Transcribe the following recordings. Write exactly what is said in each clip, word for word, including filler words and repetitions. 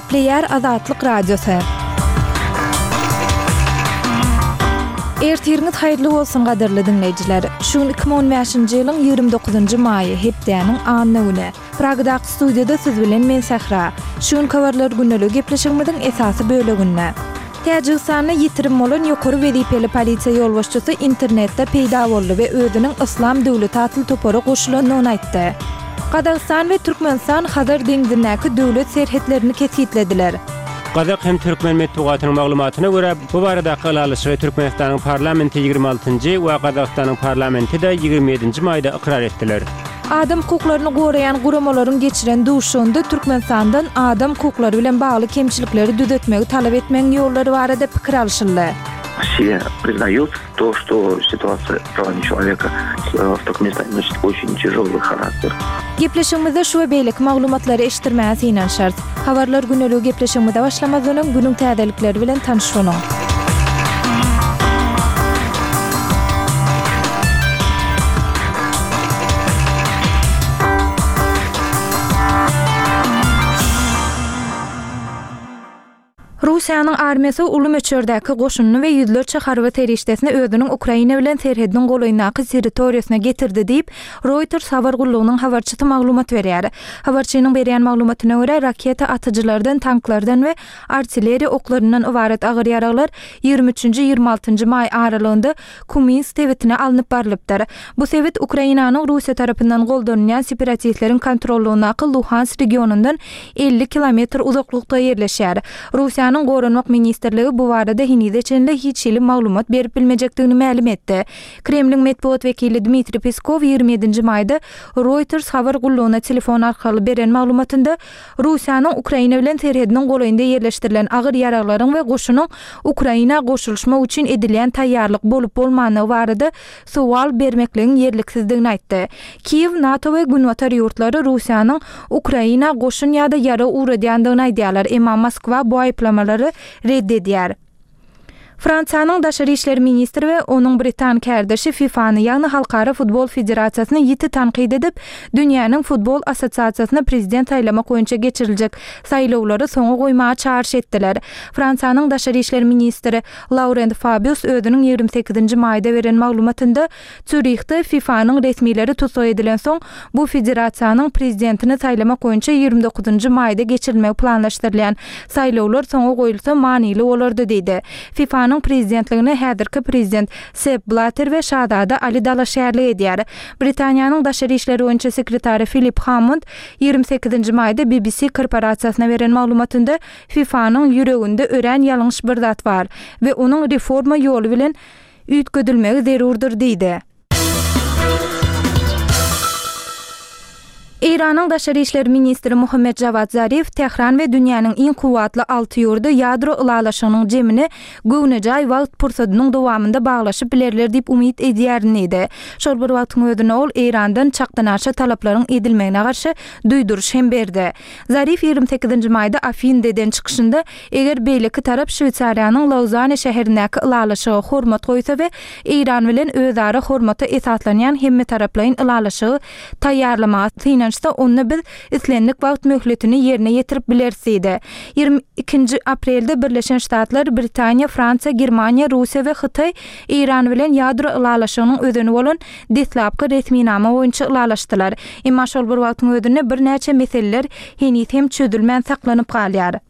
Gepleýär Azatlyk Radiosy. Ertiriňiz haýyrly bolsun gadyrly diňleýjiler. Şu gün iki müň on bäşinji ýylyň ýigrimi dokuzynjy maýy, hepdäniň anna güni. Pragadaky studiýada siz bilen men Sähra. Şu günki habarlar gündeligi gepleşigimiziň esasy böleginde. Täjigistanda ýitirim bolan ýokary wezipeli polisiýa ýolbaşçysy internetde peýda boldy we özüniň Yslam döwleti atly topara goşulandygyny aýtdy. Gazagystan we Türkmenistan Hazar deňzindäki döwlet serhetlerini kesgitlediler. Gazak hem türkmen metbugatynyň maglumatyna görä, bu baradaky ylalaşygy Türkmenistanyň parlamenti ýigrimi altynjy we Gazagystanyň parlamenti-de ýigrimi ýedinji maýda ykrar etdiler. Adam hukuklaryny goraýan guramalaryň geçiren duşuşygynda Türkmenistandan adam hukuklary bilen bagly kemçilikleri düzetmegi talap etmegiň ýollary barada pikir alşyldy. Все признают то, что ситуация правами человека в Туркменистане носит очень тяжелый характер. Gepleşigimizde şu we beýleki maglumatlary eşitdirmäge synanyşarys. Habarlar güneligi gepleşigimize başlamazdan öň günüň täzelikleri bilen tanyş boluň. Russiýanyň armiýasy uly möçberdäki goşunyny we ýüzlerçe harby serişdesini özüniň Ukraina bilen serhediniň golaýyndaky territoriýasyna getirdi diýip, Reuters habar gullugynyň habarçysy maglumat berýär. Habarçynyň berýän maglumatyna görä, raketa atyjylardan, tanklardan we artilleriýa oklaryndan ybarat agyr ýaraglar ýigrimi üçünji ýigrimi altynjy maý aralygynda Kuminsk sebitine alnyp barlypdyr. Bu sebit Ukrainanyň Russiýa tarapyndan goldanylýan separatistleriň kontrollugyndaky Luhansk regionyndan elli kilometr uzaklykda ýerleşýär. Russiýanyň Goranmak ministrligi bu barada henize çenli hiç hili maglumat berip bilmejekdigini mälim etdi. Kremliň metbugat wekili Dmitriý Peskow ýigrimi ýedinji maýda Reuters habar gullugyna telefon arkaly beren maglumatynda Russiýanyň Ukraina bilen serhediniň golaýynda ýerleşdirilen agyr ýaraglaryň we goşunyň Ukraina goşulyşmak üçin edilýän taýýarlyk bolup bolmanlygy barada sowal bermekligiň ýerliksizdigini aýtdy. Kiýew, NATO we Günbatar ýurtlary Russiýanyň Ukraina goşun ýa-da ýarag ugradýandygyny aýdýarlar, emma Moskwa bu aýyplamalary red edýär. Fransiýanyň daşary işler ministri we onuň britan kärdeşi FIFA-ny, ýagny Halkara futbol federasiýasyny ýiti tankyt edip, dünýäniň futbol assosiasiýasyna prezident saýlamak boýunça geçiriljek saýlawlary soňa goýmaga çagyryş etdiler. Fransiýanyň daşary işler ministri Laurent Fabius özüniň ýigrimi sekizinji maýda beren maglumatynda Zürihde FIFA-nyň resmileri tussag edilen soň bu federasiýanyň prezidentini saýlamak boýunça ýigrimi dokuzynjy maýda geçirilmegi planlaşdyrylýan saýlawlar soňa goýulsa manyly bolardy diýdi. FIFA-nyň prezidentligine häzirki prezident Sepp Blatter we Şazada Ali dalaşgärlik edýär. Britaniýanyň daşary işler boýunça sekretary Filip Hammond ýigrimi sekizinji maýda B B C korporasiýasyna beren maglumatynda FIFA-nyň ýüreginde örän ýalňyş bir zat bar we onuň reforma ýoly bilen üýtgedilmegi zerurdyr diýdi. Eýranyň daşary işler ministri Muhammed Javad Zarif Tehran we dünýäniň iň kuwwatly alty ýurdy ýadro ylalaşygynyň jemini göwnejaý wagt pursadynyň dowamynda baglaşyp bilerler diýip umyt edýärin diýdi. Şol bir wagtyň özünde ol Eýrandan çakdanaşa talaplaryň edilmegine garşy duýduryş hem berdi. Zarif ýigrimi sekizinji maýda Afindeden çykyşynda eger beýleki tarap Şweýsariýanyň Lauzane şäherindäki ylalaşyga hormat goýsa we Eýran bilen özara hormata esaslanýan hemme taraplaýyn ylalaşygy taýýarlamaga synanyşsa, onda biz islendik wagt möhletini ýerine ýetirip bileris diýdi. Ýigrimi ikinji aprelde Birleşen Ştatlar, Britaniýa, Fransiýa, Germaniýa, Russiýa we Hytaý Eýran bilen ýadro ylalaşygynyň özeni bolan deslapky resminama boýunça ylalaşdylar. Emma şol bir wagtyň özünde birnäçe meseleler heniz hem çözülmän saklanyp galýar.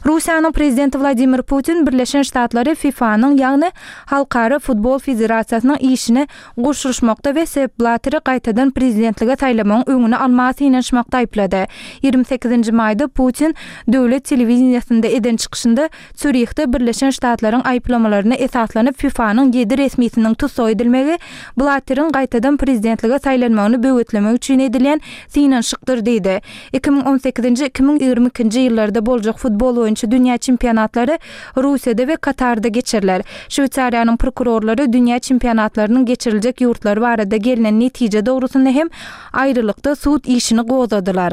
Russiýanyň prezidenti Wladimir Putin Birleşen Ştatlary FIFA-nyň, ýagny Halkara futbol federasiýasynyň işine goşulyşmakda we Sepp Blatteri gaýtadan prezidentlige saýlamagyň öňüni almaga synanyşmakda aýyplady. Ýigrimi sekizinji maýda Putin döwlet telewideniýasynda eden çykyşynda Zürihde Birleşen Ştatlaryň aýyplamalaryna esaslanyp FIFA-nyň ýedi resmisiniň tussag edilmegi Blatteriň gaýtadan prezidentlige saýlanmagyny böwetlemek üçin edilýän synanyşykdyr diýdi. Iki müň on sekizinji, iki müň ýigrimi ikinji ýyllarda boljak futbol boýunça dünýä çempionatlary Russiýada we Katarda geçiriler. Şweýsariýanyň prokurorlary dünýä çempionatlarynyň geçiriljek ýurtlary barada gelnen netije dogrusynda hem aýrylykda sud işini gozgadylar.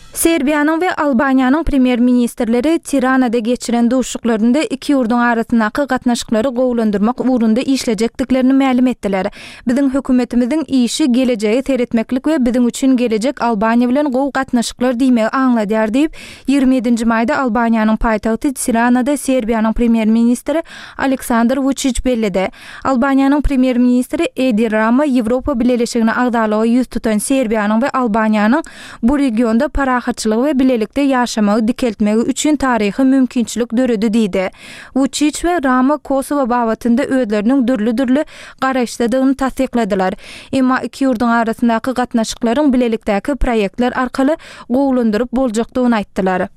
Serbiýanyň we Albaniýanyň premýer-ministrleri Tiranada geçiren duşuşyklarynda iki ýurduň arasyndaky gatnaşyklary gowulandyrmak ugrunda işlejekdiklerini mälim etdiler. Biziň hökümetimiziň işi gelejege seretmeklik we biziň üçin gelejek Albaniýa bilen gowy gatnaşyklar diýmegi aňladýar diýip, ýigrimi ýedinji maýda Albaniýanyň paýtagty Tiranada Serbiýanyň premýer-ministri Aleksandr Wuçiç belledi. Albaniýanyň premýer-ministri Edi Rama Ýewropa Bileleşigine agzalyga ýüz tutan Serbiýanyň we Albaniýanyň bu regionda parahatçylygy we bilelikde ýaşamagy dikeltmegi üçin taryhy mümkinçilik döredi diýdi. Wuçiç we Rama Kosowo babatynda özleriniň dürli-dürli garaýyşdadygyny tassykladylar. Emma iki ýurduň arasyndaky gatnaşyklaryň bilelikdäki proýektler arkaly gowulandyryp boljakdygyny aýtdylar.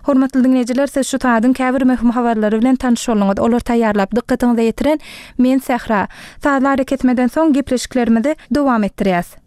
Hormatly diňleýjiler, siz şu sadyň käbir möhüm habarlary bilen tanyş bolduňyz. Olary taýýarlap, dykgatyňyza ýetiren men Sähra. Sazly arakesmeden soň gepleşiklerimizi dowam etdirýäs.